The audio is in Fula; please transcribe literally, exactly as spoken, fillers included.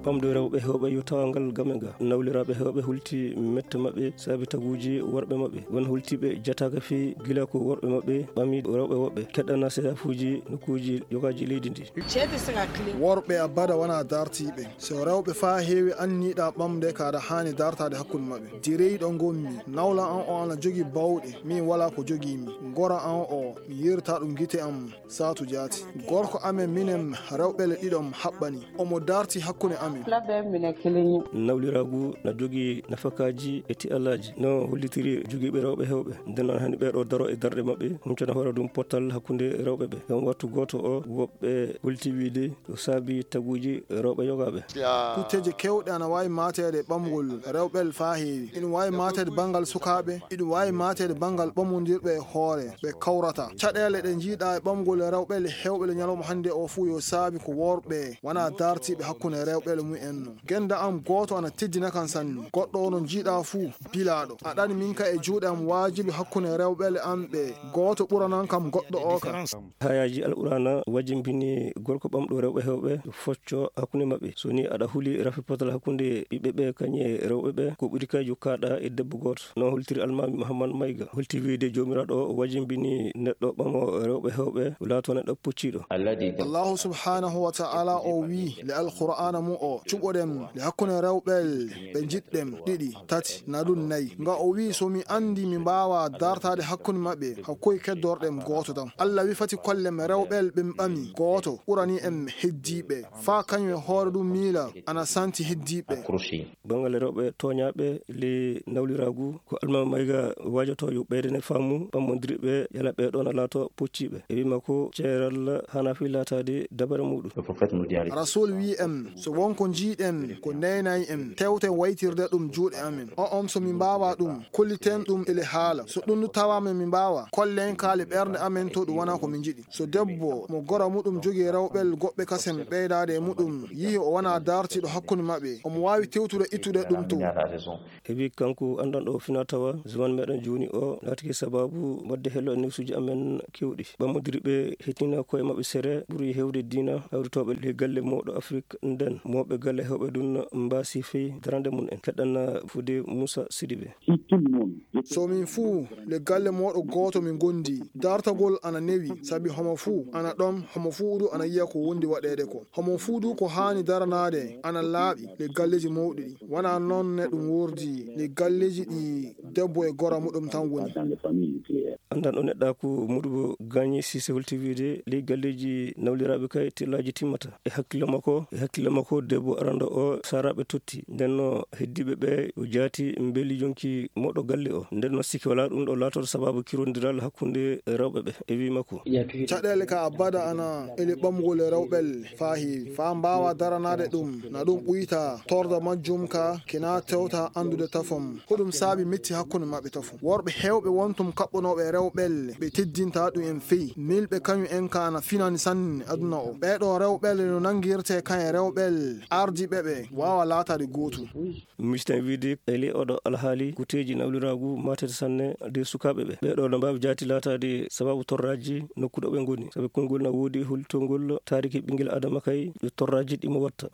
Ɓamɗo rewɓe heewɓe yo tawa ngal game ga. Nawliraaɓe heewɓe hulti mette maɓɓe saabi taguuji worɓe maɓɓe. Won hultiiɓe jataaka fii gila ko worɓe maɓɓe ɓami rewɓe woɓɓe. Keɗɗana seedafuuji nokkuuji jogaaji leydi ndi. Worɓe abada wona dartiiɓe. So rewɓe faa heewi anniiɗa ɓamde ka aɗa haani dartaade hakkunde maɓɓe. Direyɗo ngonmi, nawla an o ana jogi bawɗe, min walaa ko jogiimi. Gora an o, mi yirta ɗum gite am. Saatu jaati. Gorko amen minen rewɓe le ɗiɗon haɓɓani. Omo darti hakkunde amen. Labbe mine kiliñi. Nawliraagu na jogii nafakaaji e ti'alaaji. No hollitiri jogiiɓe rewɓe heewɓe. Nden noon hani ɓee ɗoo daro e darɗe maɓɓe, huncana hoore ɗum pottal hakkunde rewɓe ɓe. Ngam wattu gooto o, woɓɓe holti wiide ko saabi taguuji rewɓe yogaaɓe. Kutteeje keewɗe ana waawi maateede ɓamgol rewɓe faa heewi. Ina waawi maateede banngal sukaaɓe, ina waawi maateede banngal ɓamondirɓe e hoore, ɓe kawrata. Caɗeele ɗe njiiɗaa e ɓamgol rewɓe le heewɓe le ñalawma hannde o fuu yo saabi ko worɓe wona dartiiɓe hakkunde rewɓe le mumen no. Gennda am gooto ana teddina kan sanne. Goɗɗo ono njiiɗaa fuu, bilaaɗo. A ɗani min ka e juuɗe am waajibi hakkunde rewɓe le am ɓe. Gooto ɓuranan kam goɗɗo o ka. Hayaaji Alqur'aana wajimbini gorko ɓamɗo rewɓe heewɓe focco hakkunde maɓɓe. So ni aɗa huli rafi potal hakkunde ɓiɓɓe ɓe kañe rewɓe ɓe, ko ɓuri kay jokkaɗa e debbo gooto. No holtiri Almaami Muhammad Mayga. Holti wiide Joomiraaɗo o wajimbini neɗɗo ɓamo rewɓe heewɓe, laato neɗɗo pucciiɗo. Allahu subhanahu wa ta'ala o wii le Alqur'aana mu o, cuɓoɗen le hakkunde rewɓe ɓe njiɗɗen ɗiɗi, tati, na ɗum nayi. Nga o wii, so mi anndi mi mbaawa dartaade hakkunde maɓɓe, hakkoy keddorɗen gooto tan. Allah wi fati kollem rewɓe ɓe ɓami gooto ɓurani en heddiiɓe. Faa kañum e hoore ɗum miila ana santi heddiiɓe. Banngal rewɓe tooñaaɓe ley nawliraagu, ko Almaami Mayga waajoto yo ɓeydane faamu ɓammondirɓe yala ɓee ɗoon laato pucciiɓe. E wii makko ceeral hana fii laataade dabare muuɗum. Rasul wii en, so won ko njiiɗen ko neenay en, tewten waytirde ɗum juuɗe amen. O on so mi mbaawa ɗum, kolliten ɗum ele haala. So ɗum tawaama mi mbaawa, kollen kaali ɓernde amen to ɗum wona ko min njiɗi. So debbo mo gora muɗum jogii rewɓel goɓɓe kasen ɓeydaade e muɗum, yihi o wona dartiiɗo hakkunde maɓɓe, omo waawi tewtude ittude ɗum to. Heɓi kanko anndanɗo fina tawa, zaman meɗen jooni o laatike sababu wadde hello e newsuji amen kewɗi. Ɓammondirɓe hettina koye maɓɓe sere ɓuri hewde diina hawritooɓe ley galle mawɗo Afrik nden, mawɓe galle heewɓe ɗum mbaasi fey darande mum en. Keɗɗana fude Moussa Sidibé. So min fuu le galle mooɗo gooto min gondi, dartagol ana newi, sabi homo fuu ana ɗon, homo fuu du ana yiya ko wondi waɗeede ko. Homo fuu du ko haani daranaade ana laaɓi le galleeji mawɗi ɗi. Wona noon ne ɗum wordi le galleeji ɗi debbo e gora muɗum tan woni. Anndanɗo neɗɗaaku Modibo Gagné Cissé holti wiide ley galleeji nawliraaɓe kay tellaaji timmata. E hakkille makko, e hakkille makko debbo arando o saaraaɓe totti. Nden no heddiiɓe ɓe o jaati mbeli yonki moɗo galle o. Nden no sikki wala ɗum ɗo laatoto sababu kirondiral hakkunde rewɓe ɓe. E wii makko. Caɗeele ka abada ana ele ɓamgol e rewɓel faa heewi. Faa mbaawa daranaade ɗum, na ɗum ɓuyta torda majjum ka kina tewta anndude tafom. Ko ɗum saabi metti hakkunde maɓɓe tafo. Worɓe heewɓe wontum kaɓɓonooɓe rewɓel ɓe teddinta ɗum en fey. Milɓe kañum en ka na finani sanne aduna o. Ɓee ɗoo rewɓel no nanngirte kan e rewɓel ardiiɓe ɓe waawa laataade gootum. Miijten wiide e ley oɗo alhaali kuteeji nawliraagu maatete sanne de sukaaɓe ɓe. Ɓee ɗoo no mbaawi jaati laataade sababu torraaji nokku ɗo ɓe ngoni. Sabi konngol na woodi holtongol taariki ɓinngel Adama kay ɗo torraaji ɗi mo watta.